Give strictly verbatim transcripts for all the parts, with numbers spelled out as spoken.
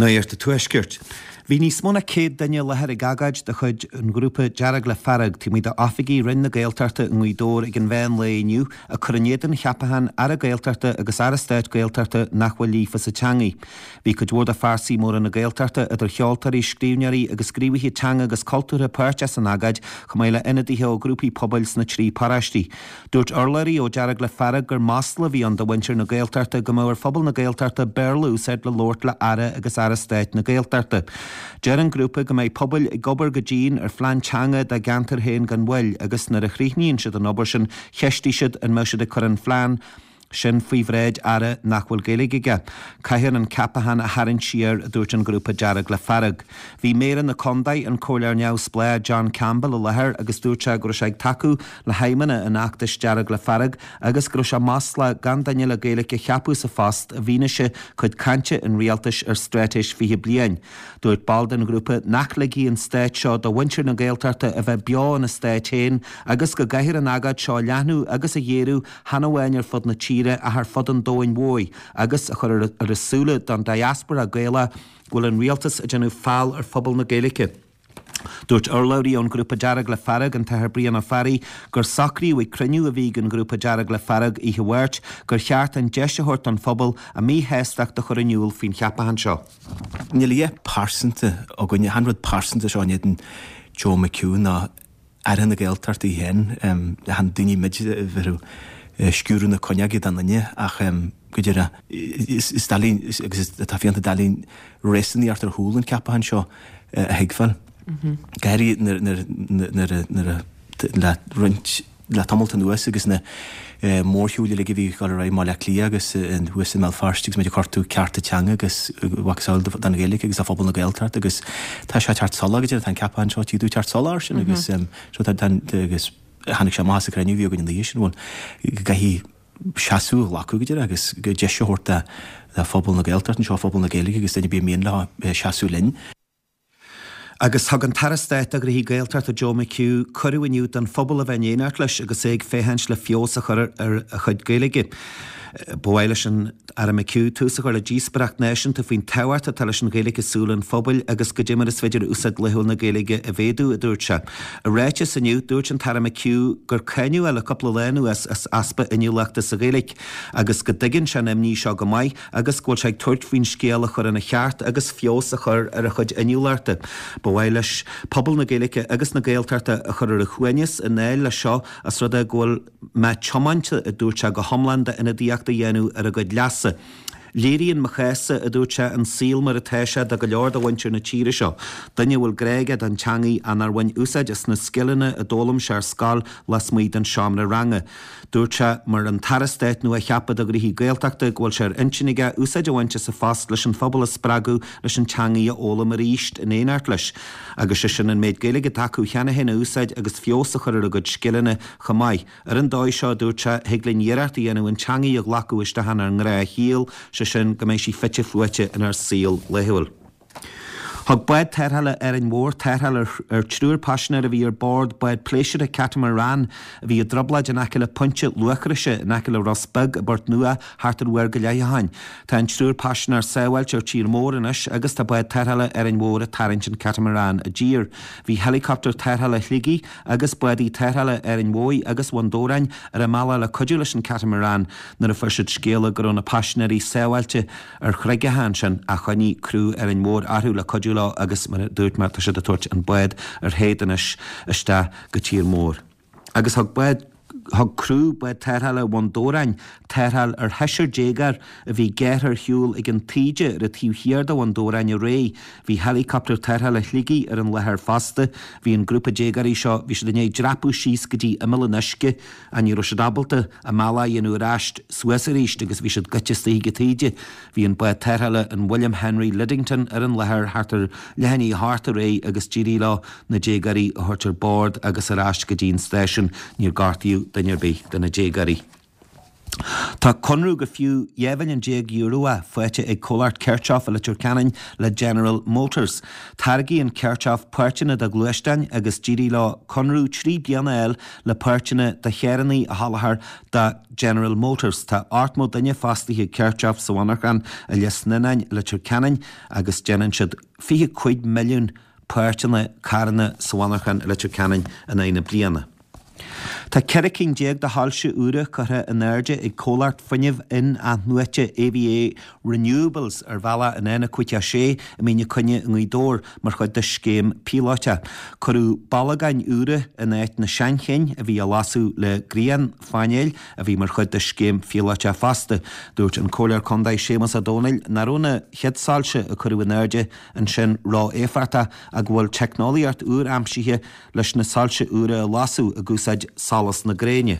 Nuacht an Tuaiscirt. Bhí níos mó ná céad duine i láthair ag agóid de chuid an ghrúpa Dearg le Fearg taobh amuigh d'oifigí Roinn na Gaeltachta i nGaoth Dobhair ag an mheán lae inniu ag cur in éadan cheapachán Aire Gaeltachta agus Aire Stáit Gaeltachta nach bhfuil líofa sa teangaidh. Bhí cuid mhór de phearsaí móra na Gaeltachta idir cheoltóirí, scríbhneoirí agus gníomhaithe teanga agus cultúrtha páirteach san agóid chomh maith le ionadaithe ó ghrúpaí pobail sna trí paróistí. Dúirt urlabhraí ó Dearg le Fearg gur masla a bhí ann do mhuintir na Gaeltachta go mbeadh ar phobal na Gaeltachta Béarla a úsáid le labhairt le Aire agus Aire Stáit na Gaeltachta. Deir an grúpa go mbeidh pobail ag obair go dian ar phlean teanga dá gceantar féin gan mhoill agus nuair a chríochnaíonn siad an obair sin cheistigh siad an mbeadh siad ag cur an phlean sin faoi bhráid Aire nach bhfuil Gaeilge aige. Caithfear an ceapachán a tharraingt siar, a dúirt an grúpa Dearg le Fearg. Bhí Méara na Contae, an Comhairleoir Neamhspleách John Campbell i láthair agus dúirt sé go raibh sé ag tacú le haidhmeanna an fheachtais Dearg le Fearg agus go raibh sé maslach gan duine le Gaeilge a cheapadh sa phost i bhfianaise cuid cainte an rialtais ar straitéis fiche bliain. Dúirt ball den ghrúpa nach ligfidh an stát seo do mhuintir na Gaeltachta a bheith beo ina stát féin agus go gcaithfear an agóid seo a leathnú agus a ghéarú chan amháin ar fud na tíre ach ar fud an domhain mhóir agus a chur ar a súile don diaspora Gaelach go bhfuil an rialtas ag déanamh feall ar phobal na Gaeilge. Dúirt urlabhraí ón grúpa Dearg le Fearg an tAthair Brian Ó Fearraigh gur socraíodh ag cruinniú a bhí ag an ghrúpa Dearg le Fearg oíche Mháirt gur cheart an deis a thabhairt don phobal a míshástacht a chur in iúl faoin cheapachán seo. Níl a dhath pearsanta againne, chan rud pearsanta seo in éadan Joe McHugh ná Aire na Gaeltachta í féin, chan daoine muid a bheadh ag sciúradh na cuinneoige don duine ach go deireadh is doiligh agus tá fiánta doiligh réasúnaíocht ar chúl an ceapachán seo a thuigbheáil. Go háirithe nuair a le roinnt le tamalt anuas agus na mórshiúil uilig a bhí ag dul ar aghaidh i mBaile Átha Cliath agus thuas i mBéal Feirste agus muid ag cuartú cearta teanga agus mhacasamhail don Ghaeilge agus do phobal na Gaeltachta agus tá sé ag teacht salach go deireadh, tá an ceapachán seo ag teacht salach air sin agus so tá agus tháinig sé amach sa chruinniú a bhí againn an oíche sin bhuel go gcaithfidh seasamh a ghlacadh go deireadh agus go deis a thabhairt do phobal na Gaeltachta anseo, phobal na Gaeilge agus duine ar bith mian leo seasamh linn. Agus thug an tAire Stáit do Ghnóthaí Gaeltachta Joe McHugh cuireadh inniu don phobal a bheith in éineacht leis agus é ag féachaint le feabhas a chur ar a chuid Gaeilge. Ba mhaith leis an Aire McHugh tús a chur le díospóireacht náisiúnta faoin tábhacht atá leis an Ghaeilge i saol an phobail agus goidé mar is féidir úsáid laethúil na Gaeilge a mhéadú, a dúirt sé. I ráiteas inniu, dúirt an tAire McHugh gur cáineadh é le cúpla lá anuas as easpa inniúlachta sa Ghaeilge agus go dtuigeann sé an imní seo go maith agus go bhfuil sé ag tabhairt faoin scéal a chur ina cheart agus feabhas a chur ar a chuid inniúlachta. Ba mhaith leis pobal na Gaeilge agus na Gaeltachta a chur ar a shuaimhneas i ndáil leis seo as rud é go bhfuil mé tiomanta, a dúirt sé, go hiomlán d'ionadaíocht a dhéanamh ar a gcuid leasa. Léiríonn mo chás-sa, a dúirt sé, an saol mar atá sé do go leor de mhuintir na tíre seo, duine a bhfuil grá aige don teangaidh ach nár bhain úsáid as na scileanna a d'fhoghlaim sé ar scoil lasmuigh den seomra ranga. Dúirt sé, mar an tAire Stáit nua-cheaptha do Ghnóthaí Gaeltachta, go bhfuil sé ar intinn aige úsáid a bhaint as a phost leis an phobal a spreagadh leis an teangaidh a fhoghlaim arís in éineacht leis, agus sé sin an méid Gaeilge atá acu cheana féin a úsáid agus feabhas a chur ar a gcuid scileanna chomh maith. Ar an dóigh seo, a dúirt sé, thig linn iarracht a dhéanamh an teangaidh a ghlacadh isteach inár ngnáthshaol, sé sin go mbeidh sí fite fuaite inár saol laethúil. Thug bád tarrthála Árainn Mhór tarrtháil ar triúr paisinéir a bhí ar bord bád pléisiúrtha catamaran a bhí i dtrioblóid in aice le Pointe Luachroise in aice le Ros Beag i bPort Nua thart ar uair go leith ó shin. Tá an triúr paisinéir sábháilte ar tír mór anois agus tá bád tarrthála Árainn Mhór ag tarraingt an catamaran i dtír. Bhí helicopter tarrthála Shligigh agus bádaí tarrthála Árainn Mhóir agus Bhun Dobhráin ar a mbealach le cuidiú leis an catamaran nuair a fuair siad scéala go raibh na paisinéirí sábháilte ar chreigeacha ansin ach choinnigh criú Árainn Mhór orthu le cuidiú leo agus mar a dúirt mé tá siad ag tabhairt an bád ar théad anois isteach go tír mór. Agus thug bád thug criú bád tarrthála Bhun Dobhráin tarrtháil ar sheisear déagóir a bhí gearrtha ar shiúl ag an taoide ar an taobh thiar de Bhun Dobhráin aréir. Bhí helicopter tarrthála Shligigh ar an láthair fosta. Bhí an grúpa déagóirí seo, bhí siad i ndiaidh dreapadh síos go dtí imeall an uisce ach ní raibh siad ábalta a mbealach a dhéanamh ar ais suas arís agus bhí siad goite istigh ag an taoide. Bhí an bád tarrthála an William Henry Lidington ar an láthair thart ar leath i ndiaidh a hocht aréir agus d'éirigh leo na déagóirí a thabhairt ar bord agus ar ais go dtí an stáisiún. Níor gortaíodh duine ar bith de na déagóirí. Tá conradh gur fiú dhá mhilliún déag euro é faighte ag comhlacht Kirchhoff i Leitir Ceanainn le General Motors. Táirgíonn Kirchhoff páirteanna do ghluaisteáin agus d'éirigh leo conradh trí bliana a fháil le páirteanna do charranna a sholáthar do General Motors. Tá ochtmó duine fostaithe ag Kirchhoff sa mhonarchan i Lios Nunáin i Leitir Ceanainn agus déanann siad fiche cúig milliún páirteanna carranna sa mhonarchan i Leitir Ceanainn in aghaidh na bliana. Tá ceithre cinn déag de shoilse úra curtha in airde ag comhlacht fuinnimh in-athnuaite AVA Renewables ar bhealach an N a cúig a sé i Mín an Choinne i nGaoth Dobhair mar chuid de scéim píolótach. Cuireadh bolagáin úra in áit na seanchinn a bhí á lasadh le grianphainéil a bhí mar chuid de scéim phíolótach fosta. Dúirt an Comhairleoir Contae Séamus Ó Domhnaill nach raibh na chéad soilse a cuireadh in airde ansin ró-éifeachtach ach go bhfuil teicneolaíocht úr aimsithe leis na soilse úra a lasadh ag úsáid solas na gréine.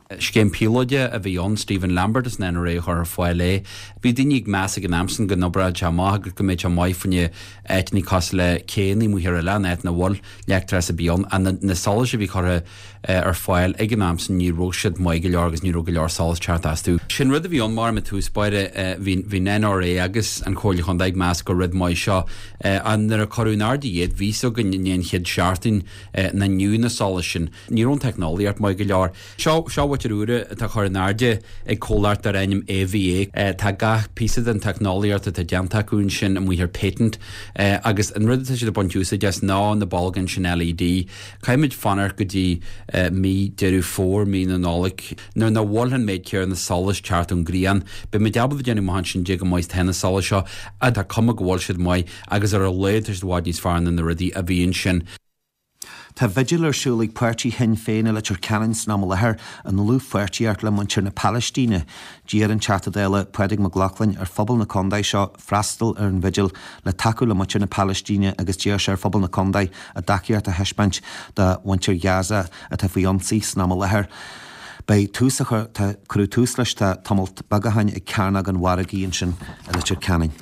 Scéim píolóide a bhí ann, Stephen Lambert as an NRA a chuir ar fáil é. Bhí daoine ag meas ag an am sin go n-oibreodh sé amach agus go mbeadh sé maith fá choinne áiteanna cosúil le céanna amuigh ar oileán, áit ina bhfuil leictreachas ar bith ann. Ach na, na solais a bhí curtha ar fáil ag an am sin ní raibh siad maith go leor agus ní raibh go leor solas teacht astu. Sin rud a bhí ann mar i dtús báire, bhí, bhí an NRA agus an Chomhairle Chontae ag meas gur rud maith seo. Ach nuair a cuireadh in airde iad, bhí a fhios againn i ndiaidh an chéad seachtain nach ndeachaigh na solais sin. Ní raibh an teicneolaíocht maith go leor. Seo, seo bhaitir úra atá chur in airde ag comhlacht dar ainm AVA. Tá gach píosa den teicneolaíocht atá déanta acu ansin amuigh ar patent agus an rud atá siad ag baint úsáid as ná na bolgáin sin LED. Caithfimid fanacht go dtí mí Deireadh Fómhair, mí na Nollag, nuair nach bhfuil an méid céanna solais teacht ón ngrian. Beimid ábalta déanamh amach ansin cé chomh maith is atá na solais seo, tá cuma go bhfuil siad maith agus ar a laghad tá siad i bhfad níos fearr ná na rudaí a bhí ansin. Tá vigil ar siúl ag páirtí Shinn Féin i Leitir Ceanainn san am i láthair i ndlúthpháirtíocht le muintir na Palaistíne. D'iarr an Teachta Dála Pádraig Mac Lochlainn ar phobal na contae seo freastal ar an vigil le tacú le muintir na Palaistíne agus d'iarr sé ar phobal na contae a dtacaíocht a thaispeáint do mhuintir Ghaza atá faoi ionsaí san am i láthair. Beidh tús a chur, tá, cuireadh tús leis tá tamalt beag ó shin ag Cearnóg an Mhargaidh ansin i Leitir Ceanainn.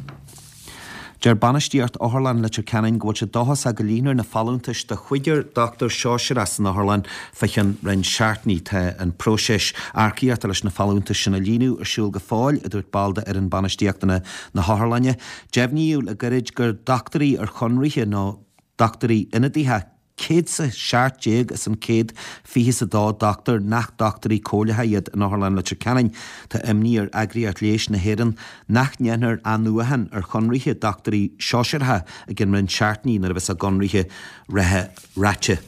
Deir bainistíocht Otharlann Leitir Ceanainn go bhfuil sé dóchasach go líonfar na folúntais do chúigear dochtúir sóisearach san otharlann fá cheann roinnt seachtainí. Tá an próiseas earcaíochta leis na folúntais sin a líonadh ar siúl go fóill, a dúirt ball d'fhoireann bainistíochta na hotharlainne. Deimhníodh le gairid gur dochtúirí ar chonraithe nó dochtúirí ionadaithe céad 's a seacht déag as an céad fiche 's a dó dochtúir nach dochtúirí comhairleacha iad in Otharlann Leitir Ceanainn. Tá imní ar Eagraíocht Leighis na hÉireann nach ndéanfar athnuachan ar chonraithe dochtúirí sóisearacha i gcionn roinnt seachtainí nuair a bheas a gconraithe reatha ráite.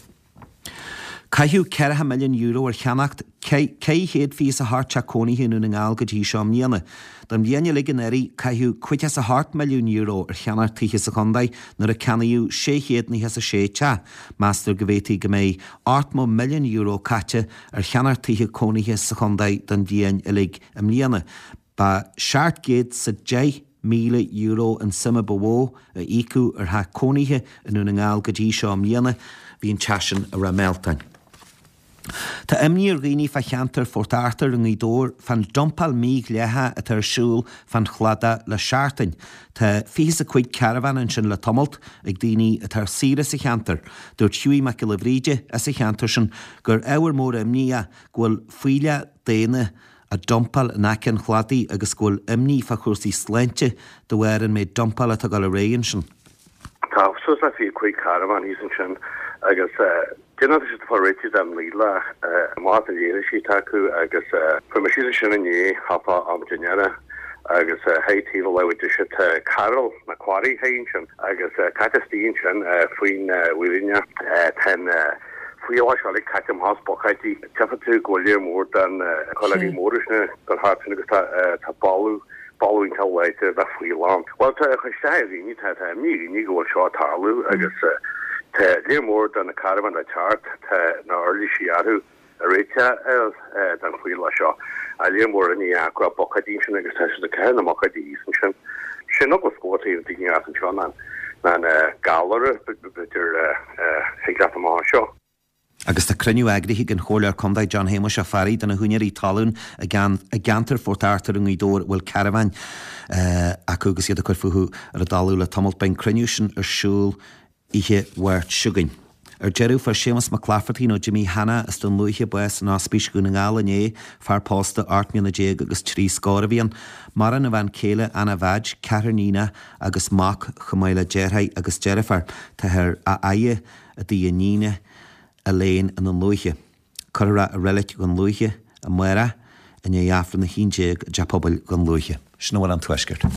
Caitheadh ceathracha milliún euro ar cheannacht ceithre chéad fiche 's a hocht teach cónaithe i nDún na nGall go dtí seo i mbliana. Don bhliain uilig anuraidh, caitheadh caoga 's a hocht milliún euro ar cheannacht tithe sa chontae nuair a ceannaíodh sé chéad nócha 's a sé teach. Meastar go bhféadfaí go mbeidh ochtmó milliún euro caite ar cheannacht tithe cónaithe sa chontae don bhliain uilig i mbliana. Ba seacht gcéad 's a deich míle euro an suim ba mhó a íocadh ar theach cónaithe i nDún na nGall go dtí seo i mbliana. Bhí an teach sin i Ráth Mealtain. Tá imní ar dhaoine fá cheantar Phort Arthur i nGaoth Dobhair fán dumpáil mhídhleathach atá ar siúl fán chladach le seachtain. Tá fiche 's a cúig carbhán ansin le tamalt ag daoine atá ar saoire sa cheantar. Dúirt Hughie Mac Giolla Bhríde as an cheantar sin gur ábhar mór imní é go bhfuil fuílleach daonna á dumpáil in aice an chladaigh agus go bhfuil imní fá chúrsaí sláinte de bharr an méid dumpála atá ag dul ar aghaidh ansin. Tá suas le fiche cúig carbhán thíos ansin agus déanann siad fá réitigh den naoi lá amach na léirisí atá acu agus fuair mé síos ansin inné thart fá am dinnéara agus high taobh a láimhe deise tá Carol na quarry high ansin agus caite istigh ansin faoin bhfírinne tá an fuíollach seo uilig caite amach as bucáidí. Tchífidh tú go bhfuil léar mór den choileogaí móra sin ag dul thart sin agus tá tá boladh boladh iontach láidir de fuíoll ann. Bhuel tá a chuid isteach ar dhaoine, tá tá imní ar dhaoine go bhfuil seo ag tarlú agus tá léar mór de na carbháin le teacht, tá na uirlisí orthu a réiteach den fuíollach seo. Tá léar mór inní acu a bucáidí ansin agus tá siad ag caitheamh na mbucáidí thíos ansin. Sin eagla is mó atá ar daoine as anseo ná ná na galair b'fhéidir thig leat amach anseo. Agus tá cruinniú eagraithe ag an Chomhairleoir Contae John Shéamuis Ó Fearraigh do na húinéirí talún i gceantar Phort Arthur i nGaoth Dobhair a bhfuil carbháin acu agus iad ag cur fúthu ar an dtalamh le tamalt. Beidh an cruinniú sin ar siúl oíche Mháirt seo chugainn. Ar deireadh, fuair Séamus Mac Laifeartaigh nó Jimí Hanna as Dún Lúiche bás in Ospís Dhún na nGall inné, fear pósta ocht mbliana déag agus trí scór a bhí ann. Maireann a bhean chéile Anna Mheaid, ceathrar níonach agus mac chomh maith le deartháir agus deirfiúr. Táthar á fhaire i dtigh a iníne Elaine i nDún Lúiche. Cuirfear é i Reilig Dhún Lúiche amárach i ndiaidh Aifreann a haon déag i dTeach Pobail Dhún Lúiche. Sin a bhfuil ón Tuaisceart.